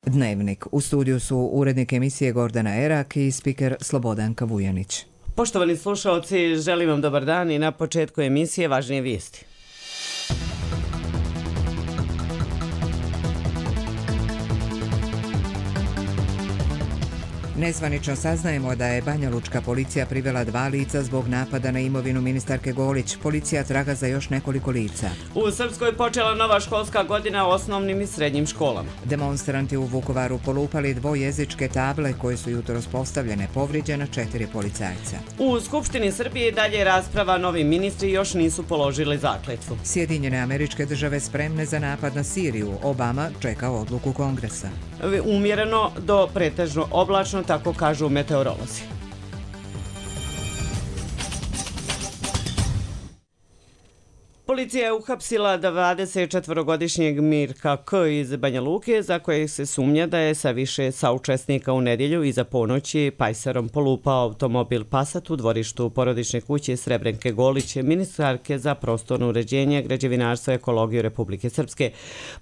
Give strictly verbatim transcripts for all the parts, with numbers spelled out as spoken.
Dnevnik. U studiju su urednik emisije Gordana Erak i spiker Slobodanka Vujanić. Poštovani slušalci, želim vam dobar dan i na početku emisije važnije vijesti. Nezvanično saznajemo da je banjalučka policija privela dva lica zbog napada na imovinu ministarke Golić. Policija traga za još nekoliko lica. U Srpskoj počela nova školska godina u osnovnim i srednjim školama. Demonstranti u Vukovaru polupali dvojezičke table koje su jutros postavljene, povrijeđena četiri policajca. U Skupštini Srbije dalje rasprava, novi ministri još nisu položili zakletvu. Sjedinjene Američke Države spremne za napad na Siriju. Obama čeka odluku Kongresa. Umjereno do pretežno oblačno, tako kažu meteorolozi. Policija je uhapsila dvadesetčetvorogodišnjeg Mirka K. iz Banja Luke, za kojeg se sumnja da je sa više saučesnika u nedjelju iza ponoći pajserom polupao automobil Passat u dvorištu porodične kuće Srebrenke Golić, ministarke za prostorno uređenje, građevinarstvo i ekologiju Republike Srpske.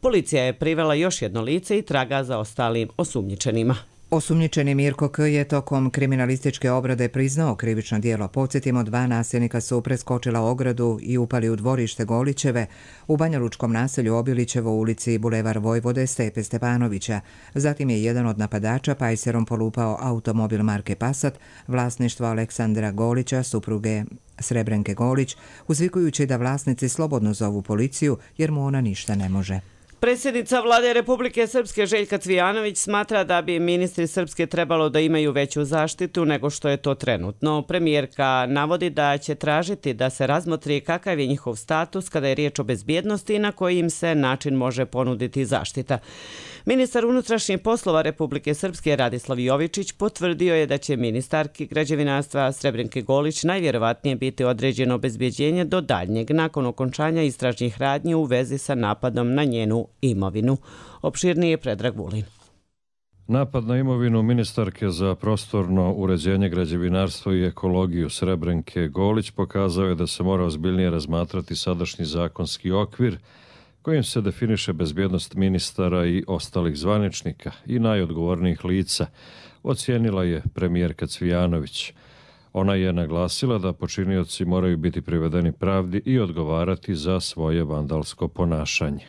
Policija je privela još jedno lice i traga za ostalim osumnjičenima. Osumnjičeni Mirko K. je tokom kriminalističke obrade priznao krivično djelo. Podsjetimo, dva nasilnika su preskočila ogradu i upali u dvorište Golićeve u banjalučkom naselju Obilićevo u ulici Bulevar Vojvode Stepe Stepanovića. Zatim je jedan od napadača pajserom polupao automobil marke Passat, vlasništvo Aleksandra Golića, supruge Srebrenke Golić, uzvikujući da vlasnici slobodno zovu policiju jer mu ona ništa ne može. Predsjednica Vlade Republike Srpske Željka Cvijanović smatra da bi ministri Srpske trebalo da imaju veću zaštitu nego što je to trenutno. Premijerka navodi da će tražiti da se razmotri kakav je njihov status kada je riječ o bezbjednosti i na koji im se način može ponuditi zaštita. Ministar unutrašnjih poslova Republike Srpske Radislav Jovičić potvrdio je da će ministarki građevinarstva Srebrenke Golić najvjerovatnije biti određeno obezbjeđenje do daljnjeg nakon okončanja istražnih radnji u vezi sa napadom na njenu imovinu. Opširnije Predrag Vulin. Napad na imovinu ministarke za prostorno uređenje, građevinarstvo i ekologiju Srebrenke Golić pokazao je da se mora ozbiljnije razmatrati sadašnji zakonski okvir kojim se definiše bezbjednost ministara i ostalih zvaničnika i najodgovornijih lica, ocijenila je premijerka Cvijanović. Ona je naglasila da počinioci moraju biti privedeni pravdi i odgovarati za svoje vandalsko ponašanje.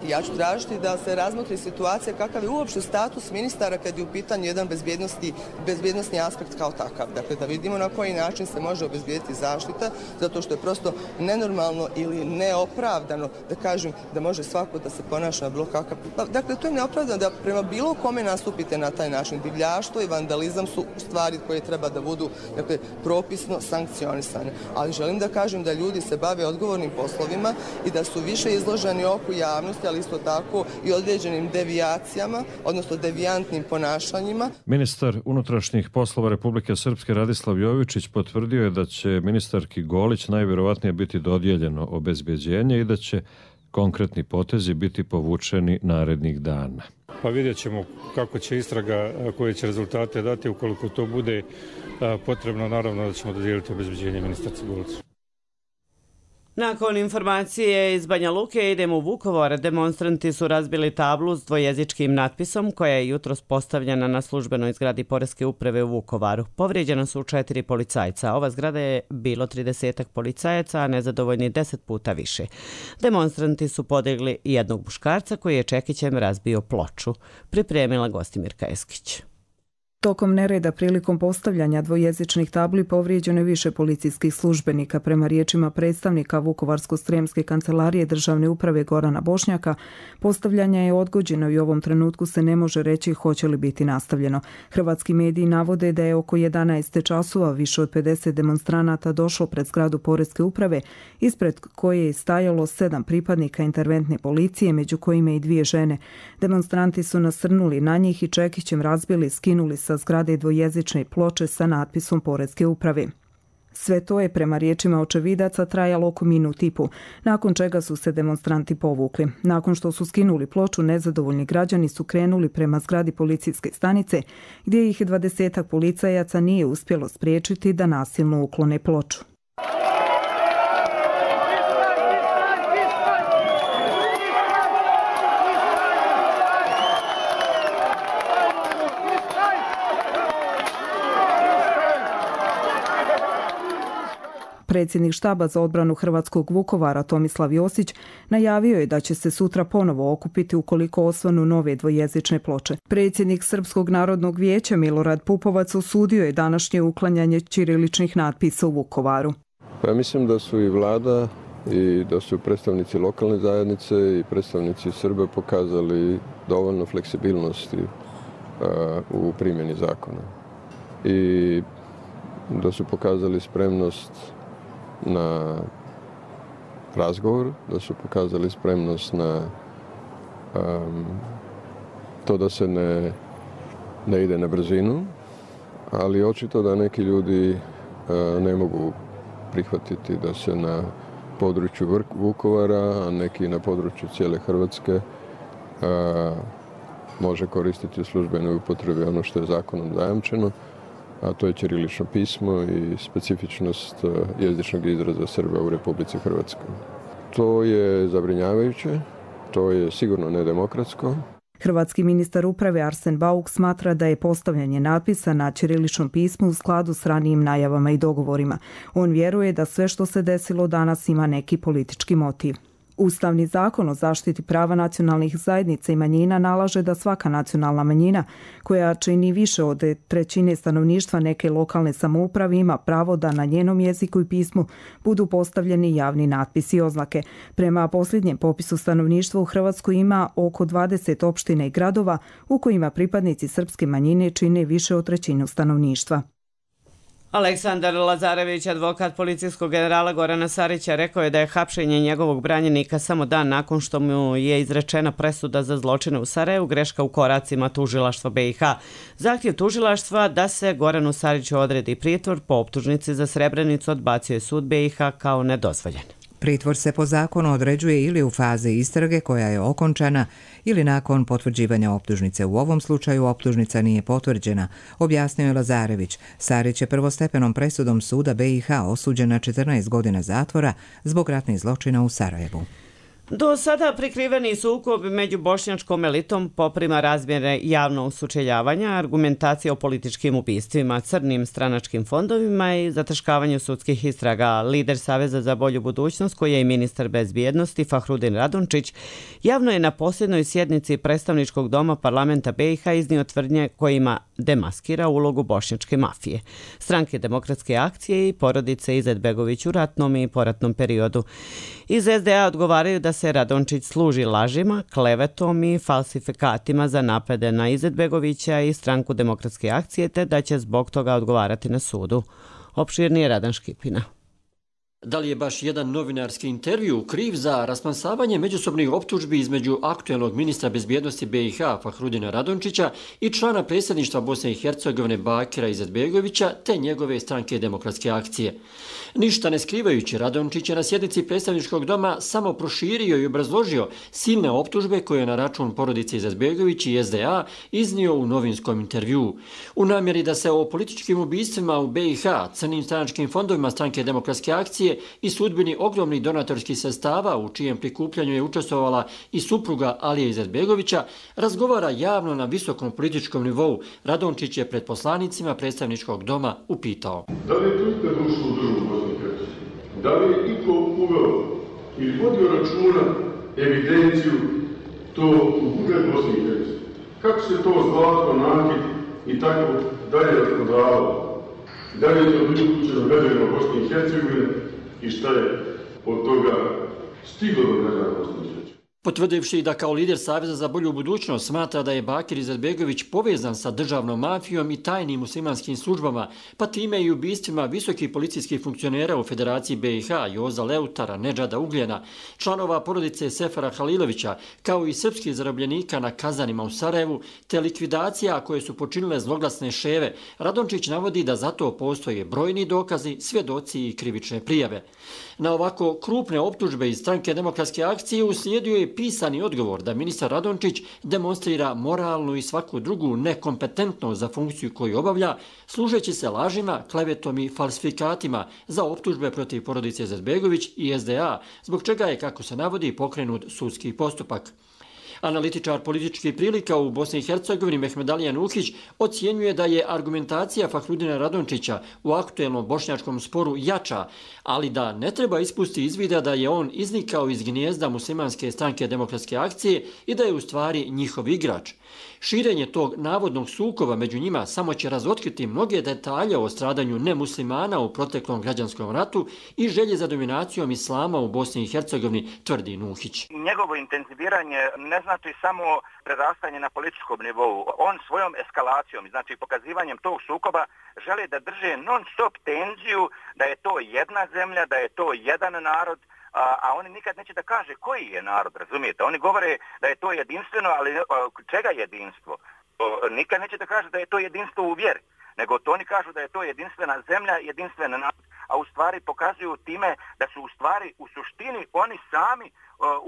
Ja ću tražiti da se razmotri situacija kakav je uopšte status ministara kad je u pitanju jedan bezbjednosti, bezbjednostni aspekt kao takav. Dakle, da vidimo na koji način se može obezbijediti zaštita, zato što je prosto nenormalno ili neopravdano, da kažem, da može svako da se ponaša na bilo kakav... Dakle, to je neopravdano da prema bilo kome nastupite na taj način. Divljaštvo i vandalizam su stvari koje treba da budu, dakle, propisno sankcionisane. Ali želim da kažem da ljudi se bave odgovornim poslovima i da su više izloženi oku javnosti, ali isto tako i određenim devijacijama, odnosno devijantnim ponašanjima. Ministar unutrašnjih poslova Republike Srpske Radislav Jovičić potvrdio je da će ministarki Golić najvjerovatnije biti dodijeljeno obezbjeđenje i da će konkretni potezi biti povučeni narednih dana. Pa vidjet ćemo kako će istraga, koje će rezultate dati. Ukoliko to bude potrebno, naravno da ćemo dodijeliti obezbjeđenje ministarci Golić. Nakon informacije iz Banja Luke idemo u Vukovar. Demonstranti su razbili tablu s dvojezičkim natpisom koja je jutros postavljena na službenoj zgradi Poreske uprave u Vukovaru. Povrijeđena su četiri policajca. Ova zgrada je bilo tridesetak policajaca, a nezadovoljni deset puta više. Demonstranti su podigli jednog muškarca koji je čekićem razbio ploču. Pripremila Gostimirka Eskić. Tokom nereda prilikom postavljanja dvojezičnih tabli povrijeđeno je više policijskih službenika. Prema riječima predstavnika Vukovarsko-srijemske kancelarije državne uprave Gorana Bošnjaka, postavljanje je odgođeno i u ovom trenutku se ne može reći hoće li biti nastavljeno. Hrvatski mediji navode da je oko jedanaest časova više od pedeset demonstranata došlo pred zgradu Poreske uprave, ispred koje je stajalo sedam pripadnika interventne policije, među kojima i dvije žene. Demonstranti su nasrnuli na njih i čekićem razbili, skinuli sa zgrade dvojezične ploče sa natpisom Poreske uprave. Sve to je prema riječima očevidaca trajalo oko minut i po, nakon čega su se demonstranti povukli. Nakon što su skinuli ploču, nezadovoljni građani su krenuli prema zgradi policijske stanice, gdje ih dvadesetak policajaca nije uspjelo spriječiti da nasilno uklone ploču. Predsjednik štaba za odbranu hrvatskog Vukovara Tomislav Josić najavio je da će se sutra ponovo okupiti ukoliko osvanu nove dvojezične ploče. Predsjednik Srpskog narodnog vijeća Milorad Pupovac osudio je današnje uklanjanje ćiriličnih natpisa u Vukovaru. Pa ja mislim da su i vlada i da su predstavnici lokalne zajednice i predstavnici Srba pokazali dovoljno fleksibilnosti uh, u primjeni zakona. I da su pokazali spremnost na razgovor, da su pokazali spremnost na um, to da se ne, ne ide na brzinu, ali očito da neki ljudi uh, ne mogu prihvatiti da se na području Vukovara, a neki na području cijele Hrvatske uh, može koristiti u službenoj upotrebi ono što je zakonom zajamčeno, a to je ćirilično pismo i specifičnost jezičnog izraza Srba u Republici Hrvatskoj. To je zabrinjavajuće, to je sigurno nedemokratsko. Hrvatski ministar uprave Arsen Bauk smatra da je postavljanje natpisa na ćiriličnom pismu u skladu s ranijim najavama i dogovorima. On vjeruje da sve što se desilo danas ima neki politički motiv. Ustavni zakon o zaštiti prava nacionalnih zajednica i manjina nalaže da svaka nacionalna manjina koja čini više od trećine stanovništva neke lokalne samouprave ima pravo da na njenom jeziku i pismu budu postavljeni javni natpisi i oznake. Prema posljednjem popisu stanovništva u Hrvatskoj ima oko dvadeset opština i gradova u kojima pripadnici srpske manjine čine više od trećinu stanovništva. Aleksandar Lazarević, advokat policijskog generala Gorana Sarića, rekao je da je hapšenje njegovog branjenika samo dan nakon što mu je izrečena presuda za zločine u Sarajevu greška u koracima tužilaštva B i H. Zahtjev tužilaštva da se Goranu Sariću odredi pritvor po optužnici za Srebrenicu odbacio je sud B i H kao nedozvoljen. Pritvor se po zakonu određuje ili u fazi istrage koja je okončana ili nakon potvrđivanja optužnice. U ovom slučaju optužnica nije potvrđena, objasnio je Lazarević. Sarić je prvostepenom presudom suda B i H osuđen na četrnaest godina zatvora zbog ratnih zločina u Sarajevu. Do sada prikriveni sukob među bošnjačkom elitom poprima razmjere javnog sučeljavanja, argumentacije o političkim ubistvima, crnim stranačkim fondovima i zataškavanju sudskih istraga. Lider Saveza za bolju budućnost, koji je i ministar bezbjednosti Fahrudin Radončić, javno je na posljednoj sjednici predstavničkog doma parlamenta B i H iznio tvrdnje kojima demaskira ulogu bošnjačke mafije, stranke Demokratske akcije i porodice Izetbegović u ratnom i poratnom periodu. Iz S D A odgovaraju da se Radončić služi lažima, klevetom i falsifikatima za napade na Izetbegovića i stranku Demokratske akcije, te da će zbog toga odgovarati na sudu. Opširnije Radan Škipina. Da li je baš jedan novinarski intervju kriv za rasplamsavanje međusobnih optužbi između aktuelnog ministra bezbjednosti B i H Fahrudina Radončića i člana predsjedništva Bosne i Hercegovine Bakira Izetbegovića te njegove stranke Demokratske akcije? Ništa ne skrivajući, Radončić je na sjednici predstavničkog doma samo proširio i obrazložio silne optužbe koje je na račun porodice Izetbegović i S D A iznio u novinskom intervjuu. U namjeri da se o političkim ubistvima u B i H, crnim stranačkim fondovima stranke Demokratske akcije i sudbini ogromnih donatorskih sredstava u čijem prikupljanju je učestvovala i supruga Alije Izetbegovića, razgovara javno na visokom političkom nivou. Radončić je pred poslanicima predstavničkog doma upitao: Da li je to ikad ušlo u državu Bosne i Hercegovine? Da li je iko uveo ili vodio računa evidenciju to u budžet Bosne i Hercegovine? Kako se to zlato, nakit i tako dalje rasprodavalo? Da li je to bilo kućeno građanima Bosne i Hercegovine i šta je od toga stiglo do građana Bosne i Hercegovine? Potvrdivši da kao lider Saveza za bolju budućnost smatra da je Bakir Izetbegović povezan sa državnom mafijom i tajnim muslimanskim službama, pa time i ubistvima visokih policijskih funkcionera u Federaciji B i H, Joza Leutara, Nedžada Ugljena, članova porodice Sefara Halilovića, kao i srpskih zarobljenika na kazanima u Sarajevu, te likvidacija koje su počinile zloglasne ševe, Radončić navodi da zato postoje brojni dokazi, svjedoci i krivične prijave. Na ovako krupne optužbe iz stranke Demokratske akcije uslijedio je pisani odgovor da ministar Radončić demonstrira moralnu i svaku drugu nekompetentnost za funkciju koju obavlja, služeći se lažima, klevetom i falsifikatima za optužbe protiv porodice Izetbegović i S D A, zbog čega je, kako se navodi, pokrenut sudski postupak. Analitičar političkih prilika u Bosni i Hercegovini Mehmed Alija Nuhić ocjenjuje da je argumentacija Fahrudina Radončića u aktuelnom bošnjačkom sporu jača, ali da ne treba ispusti iz vida da je on iznikao iz gnijezda muslimanske stranke Demokratske akcije i da je u stvari njihov igrač. Širenje tog navodnog sukoba među njima samo će razotkriti mnoge detalje o stradanju nemuslimana u proteklom građanskom ratu i želje za dominacijom islama u Bosni i Hercegovini, tvrdi Nuhić. Njegovo intenziviranje ne znači samo prerastanje na političkom nivou. On svojom eskalacijom, znači pokazivanjem tog sukoba, želi da drže non-stop tenziju da je to jedna zemlja, da je to jedan narod, a, a oni nikad neće da kaže koji je narod, razumijete? Oni govore da je to jedinstveno, ali a, čega jedinstvo? O, nikad neće da kaže da je to jedinstvo u vjeri, nego to oni kažu da je to jedinstvena zemlja, jedinstvena narod, a u stvari pokazuju time da su u stvari u suštini oni sami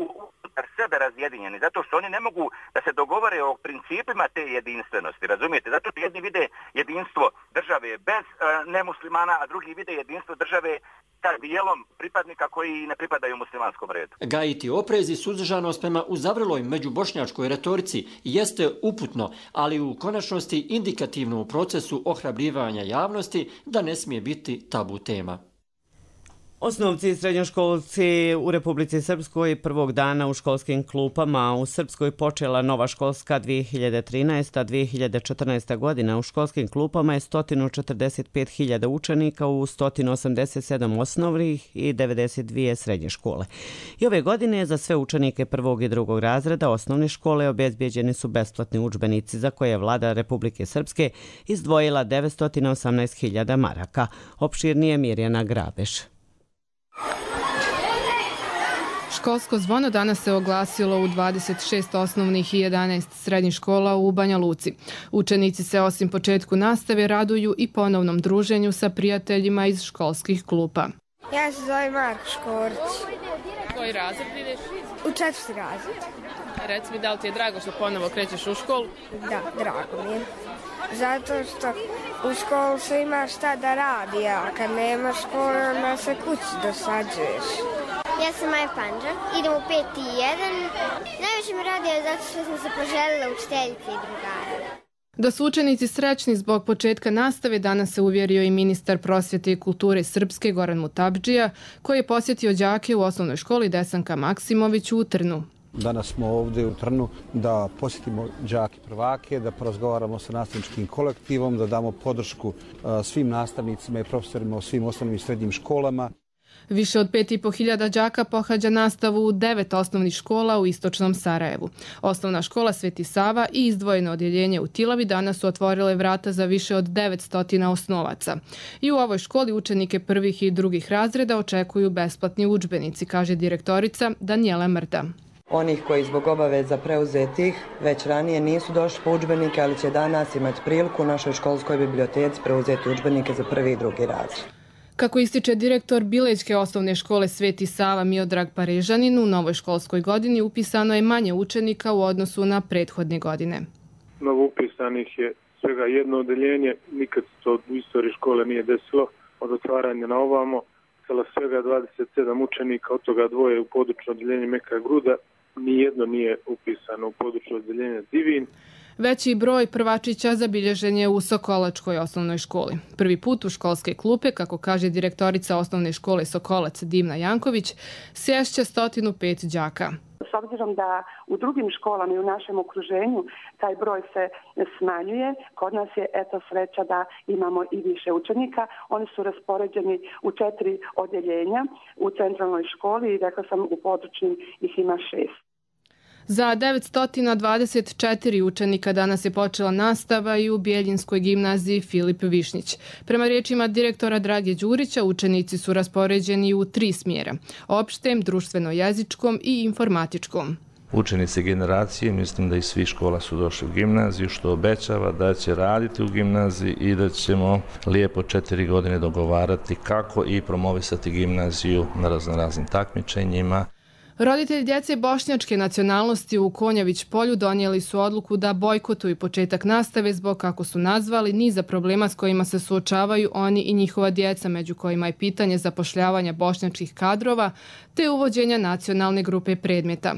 unutar sebe razjedinjeni, zato što oni ne mogu da se dogovore o principima te jedinstvenosti, razumijete? Zato što jedni vide jedinstvo države bez uh, nemuslimana, a drugi vide jedinstvo države sa dijelom pripadnika koji ne pripadaju muslimanskom redu. Gajiti oprez i suzdržanost prema uzavreloj međubošnjačkoj retorici jeste uputno, ali u konačnosti indikativno u procesu ohrabljivanja javnosti da ne smije biti tabu tema. Osnovci i srednjoškolci u Republici Srpskoj prvog dana u školskim klupama. U Srpskoj počela nova školska dvije hiljade trinaesta dvije hiljade četrnaesta godina. U školskim klupama je sto četrdeset pet hiljada učenika u sto osamdeset sedam osnovnih i devedeset dvije srednje škole. I ove godine za sve učenike prvog i drugog razreda osnovne škole obezbijeđeni su besplatni udžbenici za koje je vlada Republike Srpske izdvojila devetsto osamnaest hiljada maraka. Opširnije Mirjana Grabeš. Školsko zvono danas se oglasilo u dvadeset šest osnovnih i jedanaest srednjih škola u Banja Luci. Učenici se osim početku nastave raduju i ponovnom druženju sa prijateljima iz školskih klupa. Ja se zovem Marko Škorić. Koji razred ideš? U četvrti razred. Reci mi, da li ti je drago što ponovo krećeš u školu? Da, drago mi je. Zato što u školu se ima šta da radi, a kad nema škole, onda se kući dosađuješ. Ja sam Maja Panđa, idem u peti i jedan. Najviše mi radi je zato što sam se poželjela učiteljice i drugara. Da su učenici srećni zbog početka nastave danas se uvjerio i ministar prosvjete i kulture Srpske Goran Mutabdžija, koji je posjetio đake u osnovnoj školi Desanka Maksimović u Trnu. Danas smo ovdje u Trnu da posjetimo đake prvake, da porazgovaramo sa nastavničkim kolektivom, da damo podršku svim nastavnicima i profesorima u svim osnovnim i srednjim školama. Više od pet i po hiljada đaka pohađa nastavu u devet osnovnih škola u istočnom Sarajevu. Osnovna škola Sveti Sava i izdvojeno odjeljenje u Tilavi danas su otvorile vrata za više od devetsto osnovaca. I u ovoj školi učenike prvih i drugih razreda očekuju besplatni udžbenici, kaže direktorica Danijela Mrda. Onih koji zbog obaveza preuzetih već ranije nisu došli po udžbenike, ali će danas imati priliku u našoj školskoj biblioteci preuzeti udžbenike za prvi i drugi razred. Kako ističe direktor Bilećke osnovne škole Sveti Sava Miodrag Parežanin, u novoj školskoj godini upisano je manje učenika u odnosu na prethodne godine. Novo upisanih je svega jedno odeljenje, nikad to u istoriji škole nije desilo od otvaranja na ovamo. Cela svega dvadeset sedam učenika, od toga dvoje u područno odeljenje Meka Gruda, nijedno nije upisano u područno odeljenje Divin. Veći broj prvačića zabilježen je u Sokolačkoj osnovnoj školi. Prvi put u školske klupe, kako kaže direktorica osnovne škole Sokolac Dimna Janković, sješće sto pet đaka. S obzirom da u drugim školama i u našem okruženju taj broj se smanjuje, kod nas je eto sreća da imamo i više učenika. Oni su raspoređeni u četiri odjeljenja u centralnoj školi i rekla sam u područnim ih ima šest. Za devetsto dvadeset četiri učenika danas je počela nastava i u Bijeljinskoj gimnaziji Filip Višnjić. Prema riječima direktora Drage Đurića, učenici su raspoređeni u tri smjera: opštem, društveno-jezičkom i informatičkom. Učenici generacije, mislim da i svi škola su došli u gimnaziju, što obećava da će raditi u gimnaziji i da ćemo lijepo četiri godine dogovarati kako i promovisati gimnaziju na raznoraznim takmičenjima. Roditelji djece bošnjačke nacionalnosti u Konjavić polju donijeli su odluku da bojkotuju početak nastave zbog, kako su nazvali, niza problema s kojima se suočavaju oni i njihova djeca, među kojima je pitanje zapošljavanja bošnjačkih kadrova te uvođenja nacionalne grupe predmeta.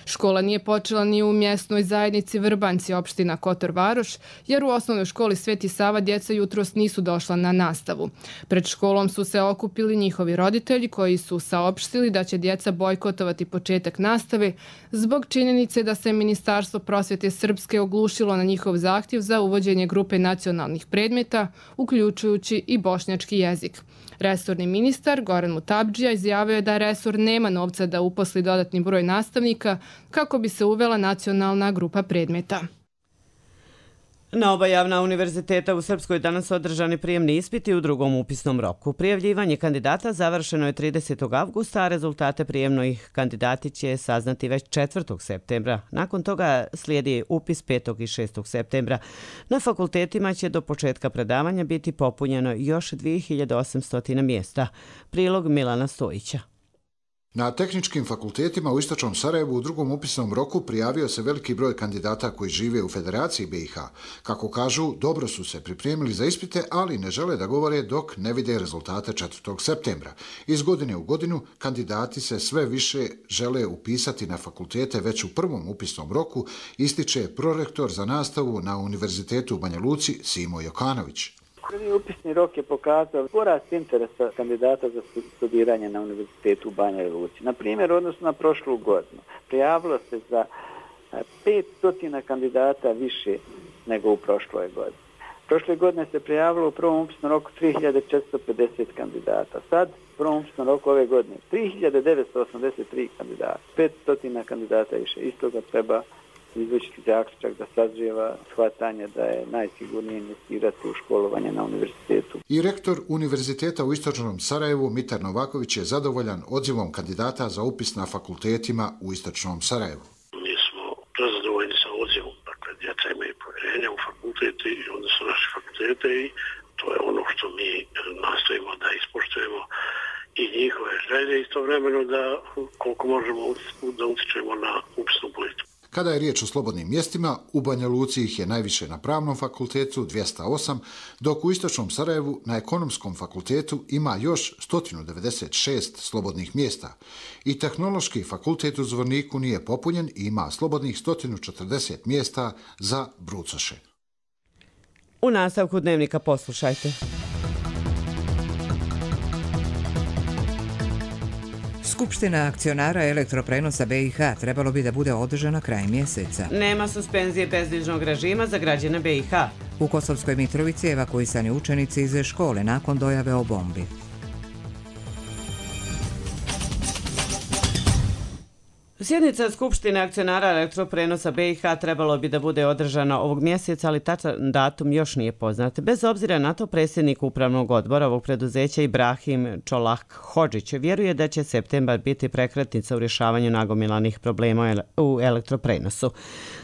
Škola nije počela ni u mjesnoj zajednici Vrbanjci, opština Kotor Varoš, jer u osnovnoj školi Sveti Sava djeca jutros nisu došla na nastavu. Pred školom su se okupili njihovi roditelji koji su saopštili da će djeca bojkotovati početak nastave zbog činjenice da se Ministarstvo prosvjete Srpske oglušilo na njihov zahtjev za uvođenje grupe nacionalnih predmeta, uključujući i bošnjački jezik. Resorni ministar Goran Mutabdžija izjavio je da resor nema novca da uposli dodatni broj nastavnika kako bi se uvela nacionalna grupa predmeta. Na oba javna univerziteta u Srpskoj danas održani prijemni ispiti u drugom upisnom roku. Prijavljivanje kandidata završeno je tridesetog avgusta, a rezultate prijemnih kandidati će saznati već četvrtog septembra. Nakon toga slijedi upis petog i šestog septembra. Na fakultetima će do početka predavanja biti popunjeno još dvije hiljade osamsto mjesta. Prilog Milana Stojića. Na tehničkim fakultetima u istočnom Sarajevu u drugom upisnom roku prijavio se veliki broj kandidata koji žive u Federaciji B i H. Kako kažu, dobro su se pripremili za ispite, ali ne žele da govore dok ne vide rezultate četvrtog septembra. Iz godine u godinu kandidati se sve više žele upisati na fakultete već u prvom upisnom roku, ističe prorektor za nastavu na Univerzitetu u Banja Luci Simo Jokanović. Prvi upisni rok je pokazao porast interesa kandidata za studiranje na Univerzitetu u Banja Luci. Na primjer, odnosno na prošlu godinu, prijavilo se za petsto kandidata više nego u prošloj godini. Prošle godine se prijavilo u prvom upisnom roku tri hiljade četiristo pedeset kandidata. Sad, u prvom upisnom roku ove godine, tri hiljade devetsto osamdeset tri kandidata. petsto kandidata više. Isto ga treba izvučiti zaključak da sazrijeva shvatanje da je najsigurnije investirati u školovanje na univerzitetu. I rektor Univerziteta u istočnom Sarajevu Mitar Novaković je zadovoljan odzivom kandidata za upis na fakultetima u istočnom Sarajevu. Mi smo prezadovoljni sa odzivom, dakle djeca imaju povjerenja u fakultete i onda su naše fakultete i to je ono što mi nastojimo da ispoštujemo i njihove želje, istovremeno da koliko možemo da utičemo na upisnu politiku. Kada je riječ o slobodnim mjestima, u Banja Luci ih je najviše na Pravnom fakultetu dvjesto osam, dok u istočnom Sarajevu na Ekonomskom fakultetu ima još sto devedeset šest slobodnih mjesta. I Tehnološki fakultet u Zvorniku nije popunjen i ima slobodnih sto četrdeset mjesta za brucoše. U nastavku dnevnika poslušajte. Skupština akcionara elektroprenosa B i H trebalo bi da bude održana krajem mjeseca. Nema suspenzije bezdižnog režima za građane B i H. U Kosovskoj Mitrovici evakuisani učenici iz škole nakon dojave o bombi. Sjednica Skupštine akcionara elektroprenosa B i H trebalo bi da bude održana ovog mjeseca, ali tačan datum još nije poznat. Bez obzira na to, predsjednik upravnog odbora ovog preduzeća Ibrahim Čolah Hodžić vjeruje da će septembar biti prekretnica u rješavanju nagomilanih problema u elektroprenosu.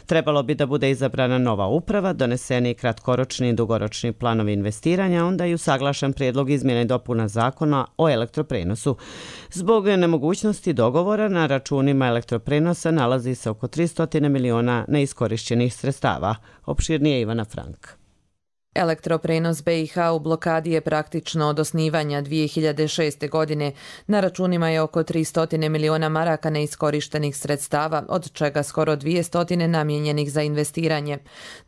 Trebalo bi da bude izabrana nova uprava, doneseni kratkoročni i dugoročni planovi investiranja, onda i usaglašen prijedlog izmjene i dopuna zakona o elektroprenosu. Zbog nemogućnosti dogovora na računima elektroprenosa nalazi se oko tristo miliona neiskorišćenih sredstava. Opširnije Ivana Frank. Elektroprenos B i H u blokadi je praktično od osnivanja dvije hiljade šeste. godine. Na računima je oko tristo miliona maraka neiskorištenih sredstava, od čega skoro dvjesto namijenjenih za investiranje.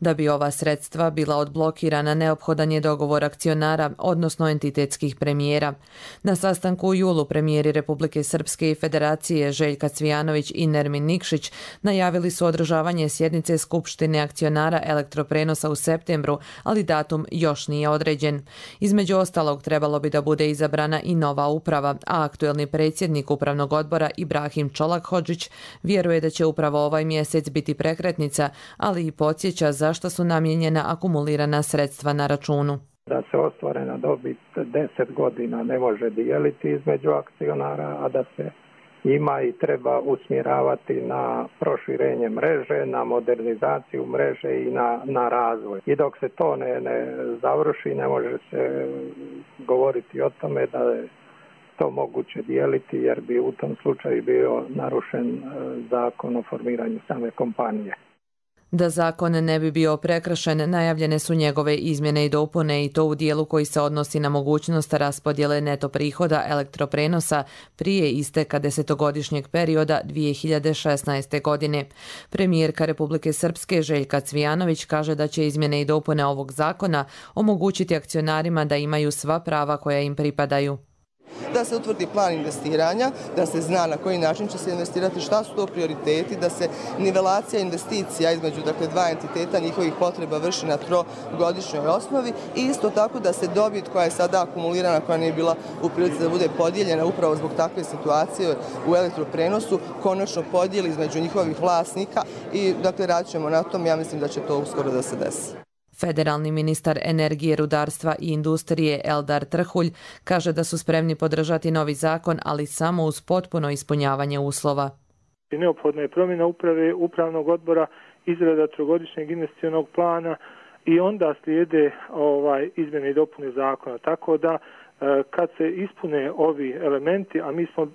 Da bi ova sredstva bila odblokirana, neophodan je dogovor akcionara, odnosno entitetskih premijera. Na sastanku u julu premijeri Republike Srpske i Federacije Željka Cvijanović i Nermin Nikšić najavili su održavanje sjednice Skupštine akcionara elektroprenosa u septembru, ali da datum još nije određen. Između ostalog, trebalo bi da bude izabrana i nova uprava, a aktuelni predsjednik upravnog odbora Ibrahim Čolah Hodžić vjeruje da će upravo ovaj mjesec biti prekretnica, ali i podsjeća zašto su namijenjena akumulirana sredstva na računu. Da se ostvarena dobit deset godina ne može dijeliti između akcionara, a da se ima i treba usmjeravati na proširenje mreže, na modernizaciju mreže i na, na razvoj. I dok se to ne, ne završi, ne može se govoriti o tome da je to moguće dijeliti, jer bi u tom slučaju bio narušen zakon o formiranju same kompanije. Da zakon ne bi bio prekršen, najavljene su njegove izmjene i dopune i to u dijelu koji se odnosi na mogućnost raspodjele neto prihoda elektroprenosa prije isteka desetogodišnjeg perioda dvije hiljade šesnaeste. godine. Premijerka Republike Srpske Željka Cvijanović kaže da će izmjene i dopune ovog zakona omogućiti akcionarima da imaju sva prava koja im pripadaju. Da se utvrdi plan investiranja, da se zna na koji način će se investirati, šta su to prioriteti, da se nivelacija investicija između dakle, dva entiteta njihovih potreba vrši na trogodišnjoj osnovi i isto tako da se dobit koja je sada akumulirana, koja nije bila u prilici da bude podijeljena upravo zbog takve situacije u elektroprenosu, konačno podijeli između njihovih vlasnika i dakle radit ćemo na tom, ja mislim da će to uskoro da se desi. Federalni ministar energije, rudarstva i industrije Eldar Trhulj kaže da su spremni podržati novi zakon, ali samo uz potpuno ispunjavanje uslova. Neophodna je promjena uprave, upravnog odbora, izrada trogodišnjeg investicionog plana i onda slijede ovaj, izmjene i dopune zakona. Tako da kad se ispune ovi elementi, a mi smo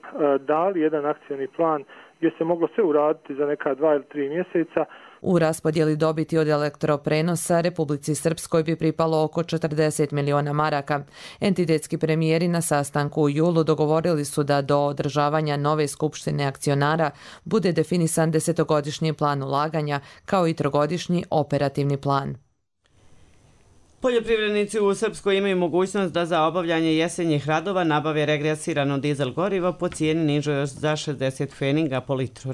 dali jedan akcioni plan gdje se moglo sve uraditi za neka dva ili tri mjeseca. U raspodjeli dobiti od elektroprenosa Republici Srpskoj bi pripalo oko četrdeset miliona maraka. Entitetski premijeri na sastanku u julu dogovorili su da do održavanja nove skupštine akcionara bude definisan desetogodišnji plan ulaganja kao i trogodišnji operativni plan. Poljoprivrednici u Srpskoj imaju mogućnost da za obavljanje jesenjih radova nabave regresirano dizel gorivo po cijeni nižoj za šezdeset pfeninga po litru.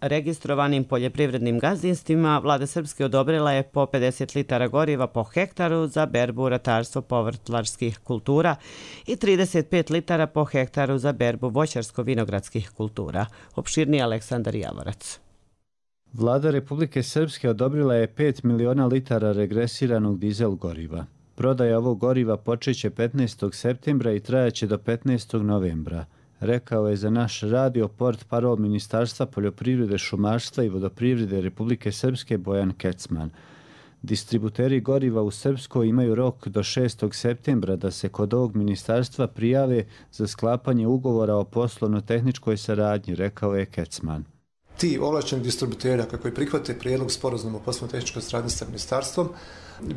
Registrovanim poljoprivrednim gazdinstvima vlada Srpske odobrila je po pedeset litara goriva po hektaru za berbu ratarstvo povrtlarskih kultura i trideset pet litara po hektaru za berbu voćarsko-vinogradskih kultura. Opširniji Aleksandar Javorac. Vlada Republike Srpske odobrila je pet miliona litara regresiranog dizel goriva. Prodaja ovog goriva počeće petnaestog septembra i trajaće do petnaestog novembra. Rekao je za naš radio port parol Ministarstva poljoprivrede, šumarstva i vodoprivrede Republike Srpske Bojan Kecman. Distributeri goriva u Srpskoj imaju rok do šestog septembra da se kod ovog ministarstva prijave za sklapanje ugovora o poslovno-tehničkoj saradnji, rekao je Kecman. Ti ovlašćeni distributeri koji prihvate prijedlog sporazuma o poslovno-tehničkoj saradnji sa ministarstvom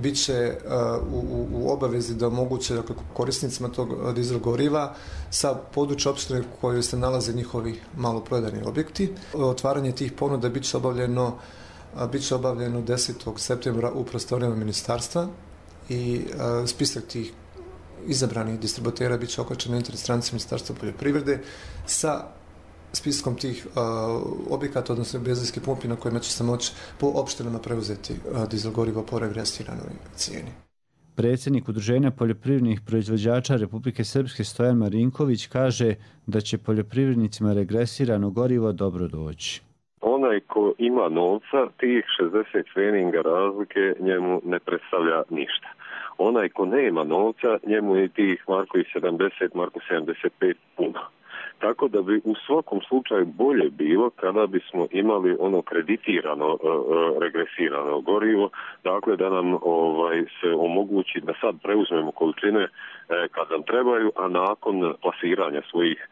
bit će uh, u, u obavezi da omoguće dakle, korisnicima tog dizel goriva sa područja opštine u kojoj se nalaze njihovi maloprodajni objekti. Otvaranje tih ponuda bit će obavljeno, uh, bit će obavljeno desetog septembra u prostorijama ministarstva i uh, spisak tih izabranih distributera bit će okačen na internet stranici Ministarstva poljoprivrede sa spiskom tih uh, objekata, odnosno benzinskih pumpi na kojima će se moći po opštinama preuzeti uh, dizel gorivo po regresiranoj cijeni. Predsjednik Udruženja poljoprivrednih proizvođača Republike Srpske Stojan Marinković kaže da će poljoprivrednicima regresirano gorivo dobro doći. Onaj ko ima novca, tih šezdeset pfeninga razlike njemu ne predstavlja ništa. Onaj ko nema novca, njemu je tih marko sedamdeset, marko sedamdeset pet puno. Tako da bi u svakom slučaju bolje bilo kada bismo imali ono kreditirano, e, regresirano gorivo, dakle da nam ovaj, se omogući da sad preuzmemo količine e, kad nam trebaju, a nakon plasiranja svojih e,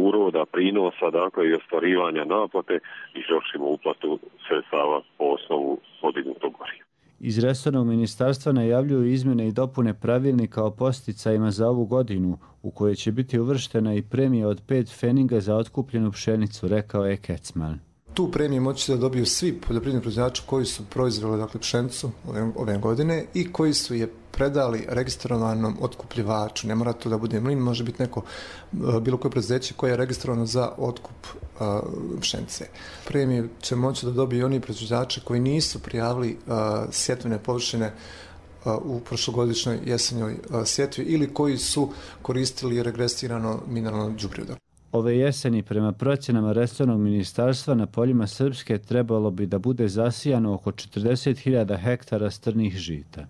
uroda, prinosa, dakle i ostvarivanja naplate, izvršimo uplatu sredstava po osnovu podignutog goriva. Iz resornog ministarstva najavljuju izmjene i dopune pravilnika o posticajima za ovu godinu, u kojoj će biti uvrštena i premija od pet pfeninga za otkupljenu pšenicu, rekao je Kecman. Tu premiju moći da dobiju svi poljoprivredni proizvođači koji su proizveli dakle, pšenicu ove, ove godine i koji su je predali registrovanom otkupljivaču. Ne mora to da bude mlin, može biti neko, bilo koje preduzeće koje je registrovano za otkup uh, pšenice. Premiju će moći da dobiju oni proizvođači koji nisu prijavili uh, sjetvene površine uh, u prošlogodišnjoj jesenjoj uh, sjetvi ili koji su koristili regresirano mineralno đubrivo. Ove jeseni, prema procjenama resornog ministarstva, na poljima Srpske trebalo bi da bude zasijano oko četrdeset hiljada hektara strnih žita.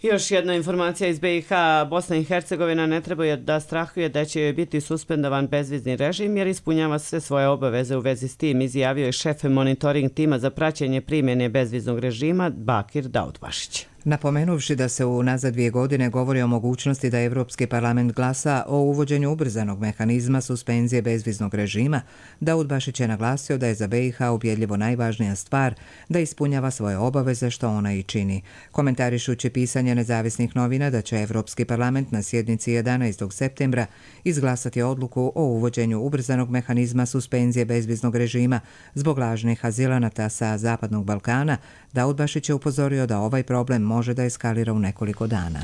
Još jedna informacija iz be i ha. Bosna i Hercegovina ne treba da strahuje da će joj biti suspendovan bezvizni režim jer ispunjava sve svoje obaveze u vezi s tim, izjavio je šef monitoring tima za praćenje primjene bezviznog režima Bakir Daudbašić. Napomenuvši da se u nazad dvije godine govori o mogućnosti da Evropski parlament glasa o uvođenju ubrzanog mehanizma suspenzije bezviznog režima, Daud Bašić je naglasio da je za B i H ubjedljivo najvažnija stvar da ispunjava svoje obaveze, što ona i čini. Komentarišući pisanje nezavisnih novina da će Evropski parlament na sjednici jedanaestog septembra izglasati odluku o uvođenju ubrzanog mehanizma suspenzije bezviznog režima zbog lažnih azilanata sa Zapadnog Balkana, Daud Bašić je upozorio da ovaj problem može da eskalira u nekoliko dana.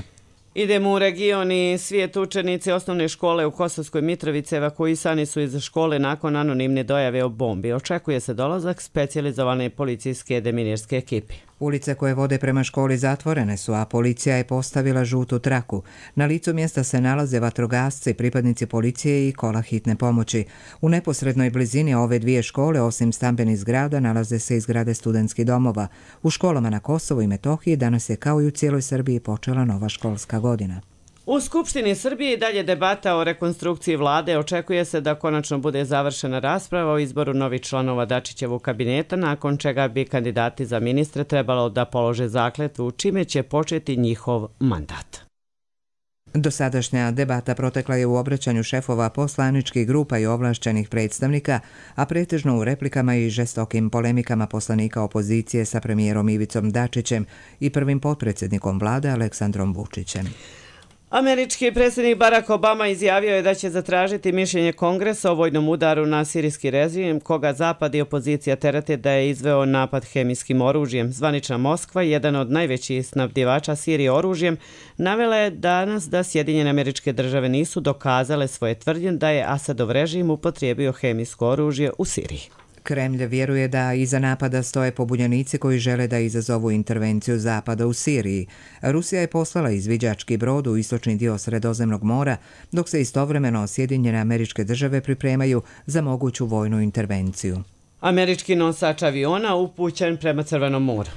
Idemo u region i svijet. Učenici osnovne škole u Kosovskoj Mitrovici evakuisani su iz škole nakon anonimne dojave o bombi. Očekuje se dolazak specijalizovane policijske deminirske ekipe. Ulice koje vode prema školi zatvorene su, a policija je postavila žutu traku. Na licu mjesta se nalaze vatrogasci, pripadnici policije i kola hitne pomoći. U neposrednoj blizini ove dvije škole, osim stambenih zgrada, nalaze se i zgrade studentskih domova. U školama na Kosovu i Metohiji danas je, kao i u cijeloj Srbiji, počela nova školska godina. U Skupštini Srbije i dalje debata o rekonstrukciji vlade. Očekuje se da konačno bude završena rasprava o izboru novih članova Dačićevog kabineta, nakon čega bi kandidati za ministre trebalo da polože zakletvu, čime će početi njihov mandat. Dosadašnja debata protekla je u obraćanju šefova poslaničkih grupa i ovlašćenih predstavnika, a pretežno u replikama i žestokim polemikama poslanika opozicije sa premijerom Ivicom Dačićem i prvim potpredsjednikom vlade Aleksandrom Vučićem. Američki predsjednik Barack Obama izjavio je da će zatražiti mišljenje Kongresa o vojnom udaru na sirijski režim, koga Zapad i opozicija terete da je izveo napad hemijskim oružjem. Zvanična Moskva, jedan od najvećih snabdjevača Sirije oružjem, navela je danas da Sjedinjene Američke Države nisu dokazale svoje tvrdnje da je Asadov režim upotrijebio hemijsko oružje u Siriji. Kremlj vjeruje da iza napada stoje pobunjenici koji žele da izazovu intervenciju Zapada u Siriji. Rusija je poslala izviđački brod u istočni dio Sredozemnog mora, dok se istovremeno Sjedinjene Američke Države pripremaju za moguću vojnu intervenciju. Američki nosač aviona upućen prema Crvenom moru.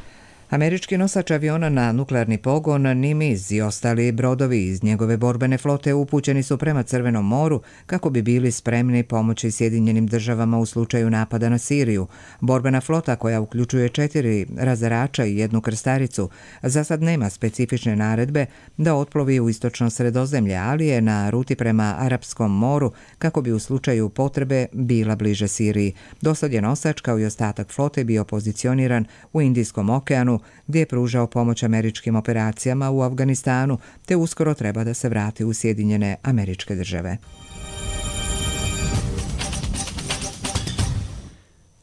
Američki nosač aviona na nuklearni pogon Nimitz i ostali brodovi iz njegove borbene flote upućeni su prema Crvenom moru kako bi bili spremni pomoći Sjedinjenim Državama u slučaju napada na Siriju. Borbena flota, koja uključuje četiri razarača i jednu krstaricu, za sad nema specifične naredbe da otplovi u istočno Sredozemlje, ali je na ruti prema Arapskom moru kako bi u slučaju potrebe bila bliže Siriji. Dosad je nosač, kao i ostatak flote, bio pozicioniran u Indijskom okeanu, gdje je pružao pomoć američkim operacijama u Afganistanu, te uskoro treba da se vrati u Sjedinjene Američke Države.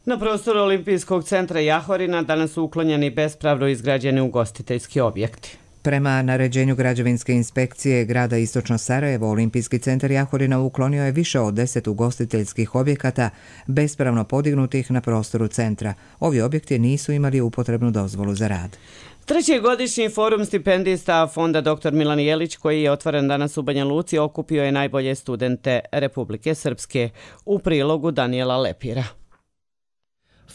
Na prostoru Olimpijskog centra Jahorina danas su uklonjeni bespravno izgrađeni ugostiteljski objekti. Prema naređenju građevinske inspekcije grada Istočno Sarajevo, Olimpijski centar Jahorina uklonio je više od deset ugostiteljskih objekata bespravno podignutih na prostoru centra. Ovi objekti nisu imali upotrebnu dozvolu za rad. Treći godišnji forum stipendista Fonda doktor Milan Jelić, koji je otvoren danas u Banja Luci, okupio je najbolje studente Republike Srpske. U prilogu Daniela Lepira.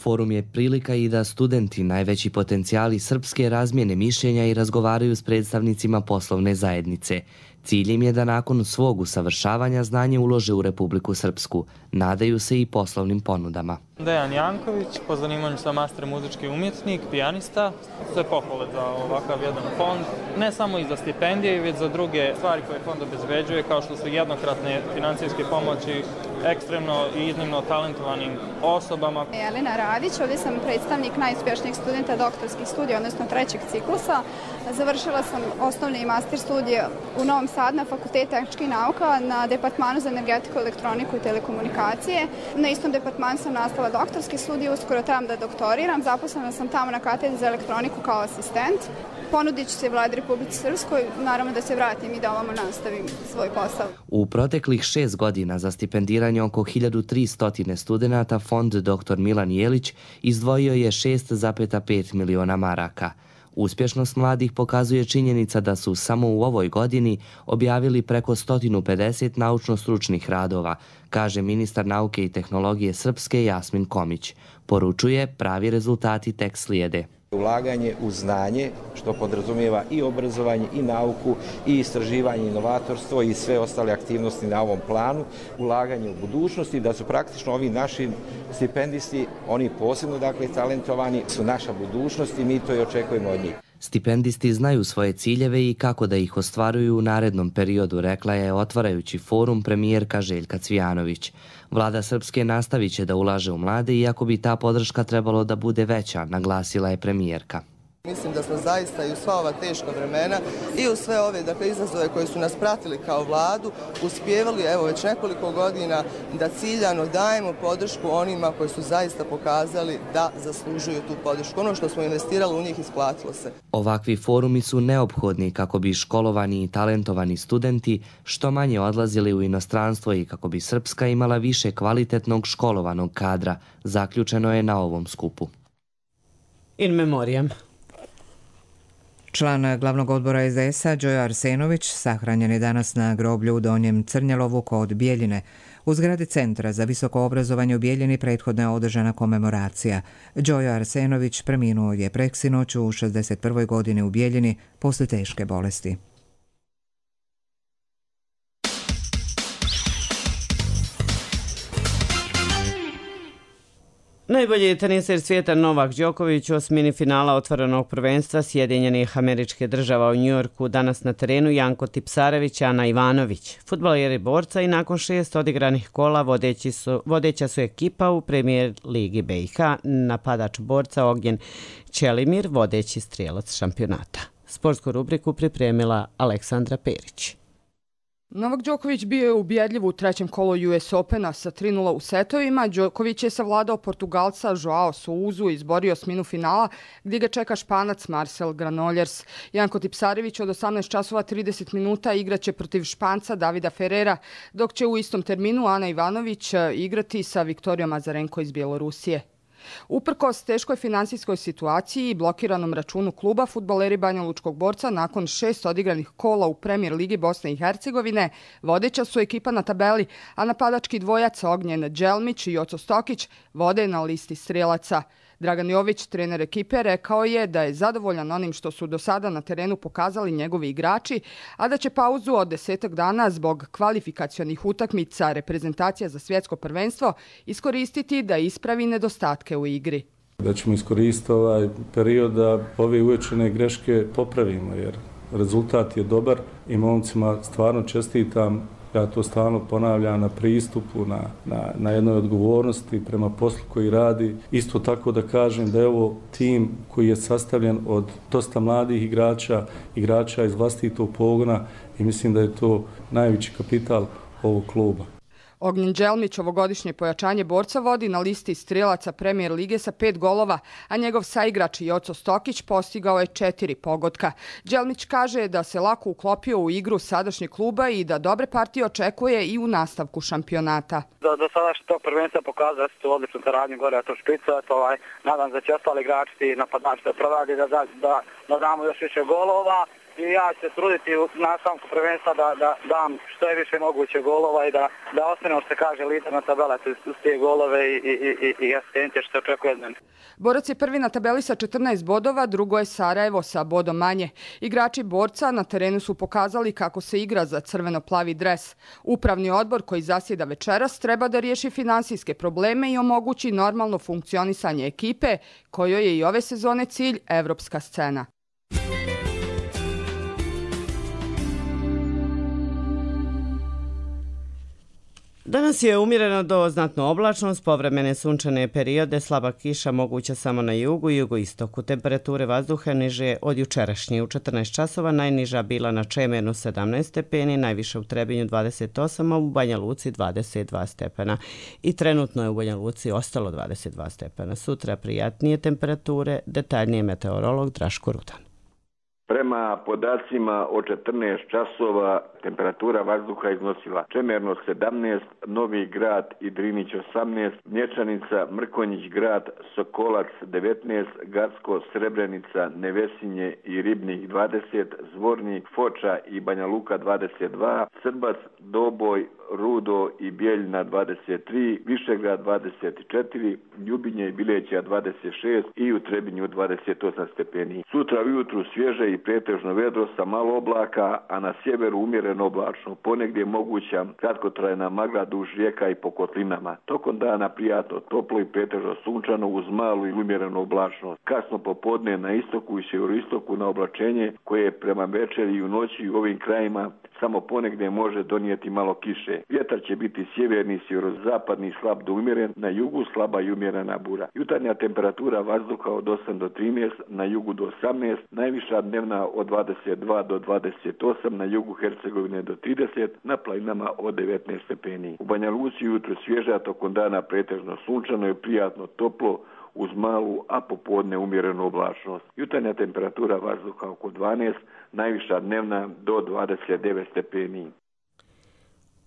Forum je prilika i da studenti, najveći potencijali srpske, razmjene mišljenja i razgovaraju s predstavnicima poslovne zajednice. Cilj im je da nakon svog usavršavanja znanje ulože u Republiku Srpsku. Nadaju se i poslovnim ponudama. Dejan Janković, po zanimanju sam master muzički umjetnik, pijanista. Sve pohvale za ovakav jedan fond. Ne samo i za stipendije, već za druge stvari koje fond obezbeđuje, kao što su jednokratne financijske pomoći ekstremno i iznimno talentovanim osobama. Jelena Radić, ovdje sam predstavnik najuspješnijeg studenta doktorskih studija, odnosno trećeg ciklusa. Završila sam osnovne i master studije u Novom Sadu na Fakultetu tehničkih nauka na Departmanu za energetiku, elektroniku i telekomunikacije. Na istom departmanu sam nastavila doktorske studije, uskoro trebam da doktoriram. Zaposlena sam tamo na katedri za elektroniku kao asistent. Ponudit ću se Vladi Republike Srpskoj, naravno da se vratim i da ovamo nastavim svoj posao. U proteklih šest godina za stipendiranje oko hiljadu tristo studenata Fond doktor Milan Jelić izdvojio je šest zarez pet miliona maraka. Uspješnost mladih pokazuje činjenica da su samo u ovoj godini objavili preko sto pedeset naučno-stručnih radova, kaže ministar nauke i tehnologije Srpske Jasmin Komić. Poručuje, pravi rezultati tek slijede. Ulaganje u znanje, što podrazumijeva i obrazovanje, i nauku, i istraživanje, inovatorstvo i sve ostale aktivnosti na ovom planu, ulaganje u budućnosti, da su praktično ovi naši stipendisti, oni posebno dakle talentovani, su naša budućnost i mi to i očekujemo od njih. Stipendisti znaju svoje ciljeve i kako da ih ostvaruju u narednom periodu, rekla je otvarajući forum premijerka Željka Cvijanović. Vlada Srpske nastavit će da ulaže u mlade, iako bi ta podrška trebalo da bude veća, naglasila je premijerka. Mislim da smo zaista i u sva ova teška vremena i u sve ove dakle, izazove koje su nas pratili kao vladu uspjevali evo već nekoliko godina da ciljano dajemo podršku onima koji su zaista pokazali da zaslužuju tu podršku. Ono što smo investirali u njih isplatilo se. Ovakvi forumi su neophodni kako bi školovani i talentovani studenti što manje odlazili u inostranstvo i kako bi Srpska imala više kvalitetnog školovanog kadra, zaključeno je na ovom skupu. In memoriam. Član glavnog odbora es de es a Đojo Arsenović sahranjen je danas na groblju u Donjem Crnjelovu kod Bijeljine. U zgradi Centra za visoko obrazovanje u Bijeljini prethodno je održana komemoracija. Đojo Arsenović preminuo je preksinoć u šezdeset prvoj godini u Bijeljini posle teške bolesti. Najbolji teniser svijeta Novak Đoković u osmini finala otvorenog prvenstva Sjedinjenih Američke Država u Njujorku danas na terenu Janko Tipsarević, Ana Ivanović. Fudbaleri borca i nakon šest odigranih kola vodeći su, vodeća su ekipa u premijer ligi be i ha, napadač borca Ognjen Čelimir, vodeći strijelac šampionata. Sportsku rubriku pripremila Aleksandra Perić. Novak Đoković bio je ubjedljiv u trećem kolu ju es Opena sa tri nula u setovima. Đoković je savladao Portugalca Joao Souzu i izborio osminu finala gdje ga čeka Španac Marcel Granollers. Janko Tipsarević od osamnaest časova trideset minuta igraće protiv Španca Davida Ferrera, dok će u istom terminu Ana Ivanović igrati sa Viktorijom Azarenko iz Bjelorusije. Uprkos teškoj finansijskoj situaciji i blokiranom računu kluba, fudbaleri Banjalučkog borca nakon šest odigranih kola u premijer ligi Bosne i Hercegovine vodeća su ekipa na tabeli, a napadački dvojac Ognjen Đelmić i Joco Stokić vode na listi strijelaca. Dragan Jović, trener ekipe, rekao je da je zadovoljan onim što su do sada na terenu pokazali njegovi igrači, a da će pauzu od desetak dana zbog kvalifikacionih utakmica reprezentacija za svjetsko prvenstvo iskoristiti da ispravi nedostatke u igri. Da ćemo iskoristiti ovaj period da ove uočene greške popravimo, jer rezultat je dobar i momcima stvarno čestitam. Ja to stalno ponavljam na pristupu, na, na, na jednoj odgovornosti prema poslu koji radi. Isto tako da kažem da je ovo tim koji je sastavljen od dosta mladih igrača, igrača iz vlastitog pogona i mislim da je to najveći kapital ovog kluba. Ognjen Đelmić ovogodišnje pojačanje borca vodi na listi strijelaca premijer lige sa pet golova, a njegov saigrač Joco Stokić postigao je četiri pogotka. Đelmić kaže da se lako uklopio u igru sadašnjeg kluba i da dobre partije očekuje i u nastavku šampionata. Do, do sadašnjeg tog prvenstva pokazali su odličnu saradnju gore, a to špica, to ovaj, nadam da će ostali igrači i napadači da provadi, da, da, da, da damo još više golova. I ja ću se truditi u nastavku prvenstva da, da dam što je više moguće golova i da, da ostanem, što se kaže, lider na tabela uz te golove i, i, i, i asistencije što očekuje od mene. Borac je prvi na tabeli sa četrnaest bodova, drugo je Sarajevo sa bodom manje. Igrači borca na terenu su pokazali kako se igra za crveno-plavi dres. Upravni odbor koji zasjeda večeras treba da riješi finansijske probleme i omogući normalno funkcionisanje ekipe, kojoj je i ove sezone cilj evropska scena. Danas je umjereno do znatno oblačno, s povremene sunčane periode, slaba kiša moguća samo na jugu i jugoistoku. Temperature vazduha niže od jučerašnje. U četrnaest časova najniža bila na Čemernu sedamnaest stepeni, najviše u Trebinju dvadeset osam, a u Banja Luci dvadeset dva stepena. I trenutno je u Banja Luci ostalo dvadeset dva stepena. Sutra prijatnije temperature, detaljnije meteorolog Draško Rudan. Prema podacima od četrnaest časova temperatura vazduha iznosila Čemerno sedamnaest, Novi Grad i Drinić osamnaest, Mlječanica, Mrkonjić Grad, Sokolac devetnaest, Gacko, Srebrenica, Nevesinje i Ribnik dvadeset, Zvornik, Foča i Banja Luka dvadeset dva, Srbac, Doboj, Rudo i Bijeljina dvadeset tri, Višegrad dvadeset četiri, Ljubinje i Bileća dvadeset šest i u Trebinju dvadeset osam stepeni. Sutra ujutru svježe i pretežno vedro sa malo oblaka, a na sjeveru umjereno oblačno, ponegdje moguća kratkotrajna magla duž rijeka i po kotlinama. Tokom dana prijatno, toplo i pretežno sunčano uz malu i umjerenu oblačnost. Kasno popodne na istoku i sjeveroistoku na oblačenje koje prema večeri i u noći u ovim krajima samo ponegdje može donijeti malo kiše. Vjetar će biti sjeverni, sjeverozapadni, slab do umjeren, na jugu slaba i umjerena bura. Jutarnja temperatura vazduha od osam do trinaest, na jugu do osamnaest, najviša dnevna od dvadeset dva do dvadeset osam, na jugu Hercegovine do trideset, na planinama od devetnaest stepeni. U Banja Luci jutro svježa, tokom dana pretežno sunčano i prijatno toplo, uz malu, a popodne umjerenu oblačnost. Jutarnja temperatura vazduha oko dvanaest, najviša dnevna do dvadeset devet stepeni.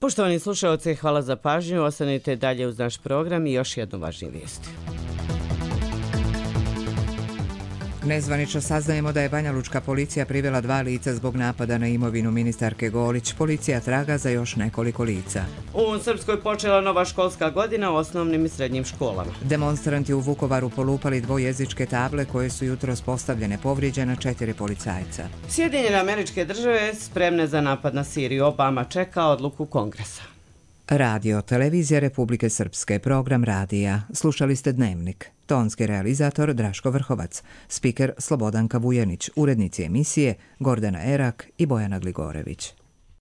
Poštovani slušalci, hvala za pažnju. Ostanite dalje uz naš program i još jednu važniju vijesti. Nezvanično saznajemo da je banjalučka policija privela dva lica zbog napada na imovinu ministarke Golić. Policija traga za još nekoliko lica. U Srpskoj počela nova školska godina u osnovnim i srednjim školama. Demonstranti u Vukovaru polupali dvojezičke table koje su jutros postavljene, povrijeđena četiri policajca. Sjedinjene Američke Države spremne za napad na Siriju. Obama čeka odluku Kongresa. Radio, televizija Republike Srpske, program radija. Slušali ste Dnevnik. Tonski realizator Draško Vrhovac, spiker Slobodanka Vujanić, urednici emisije Gordana Erak i Bojana Gligorević.